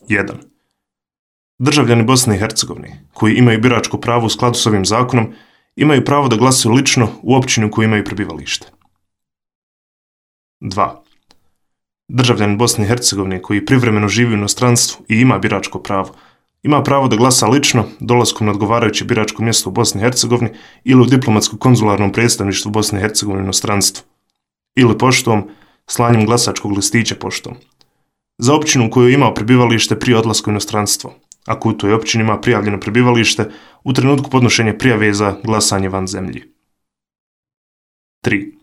1. Državljani Bosne i Hercegovine, koji imaju biračko pravo u skladu s ovim zakonom, imaju pravo da glasaju lično u općini u kojoj imaju prebivalište. 2. Državljanin Bosne i Hercegovine koji privremeno živi u inostranstvu i ima biračko pravo, ima pravo da glasa lično dolaskom na odgovarajuće biračko mjesto u Bosni i Hercegovini ili u diplomatsko-konzularnom predstavništvu Bosne i Hercegovine u inostranstvu, ili poštom, slanjem glasačkog listića poštom. Za općinu u kojoj je imao prebivalište prije odlaska u inostranstvo, ako u toj općini ima prijavljeno prebivalište u trenutku podnošenja prijave za glasanje van zemlji. 3.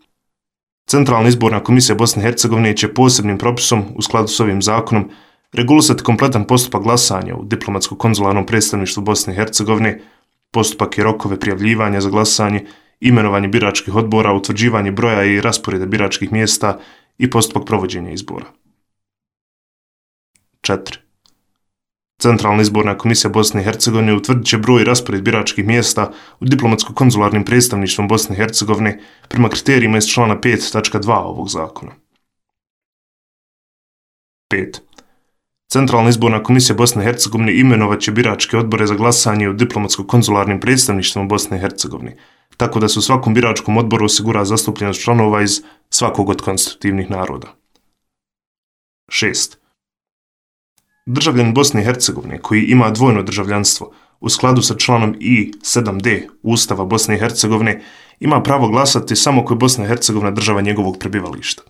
Centralna izborna komisija Bosne i Hercegovine će posebnim propisom, u skladu s ovim zakonom, regulisati kompletan postupak glasanja u diplomatsko-konzularnom predstavništvu Bosne i Hercegovine, postupak i rokove prijavljivanja za glasanje, imenovanje biračkih odbora, utvrđivanje broja i rasporeda biračkih mjesta i postupak provođenja izbora. 4. Centralna izborna komisija Bosne i Hercegovine utvrdit će broj i raspored biračkih mjesta u diplomatsko-konzularnim predstavništvom Bosne i Hercegovine prema kriterijima iz člana 5.2 ovog zakona. 5. Centralna izborna komisija Bosne i Hercegovine imenovat će biračke odbore za glasanje u diplomatsko-konzularnim predstavništvima Bosne i Hercegovine, tako da se u svakom biračkom odboru osigura zastupljenost članova iz svakog od konstitutivnih naroda. 6. Državljanin Bosne i Hercegovine koji ima dvojno državljanstvo u skladu sa članom I7D Ustava Bosne i Hercegovine ima pravo glasati samo ako je Bosna i Hercegovina država njegovog prebivališta.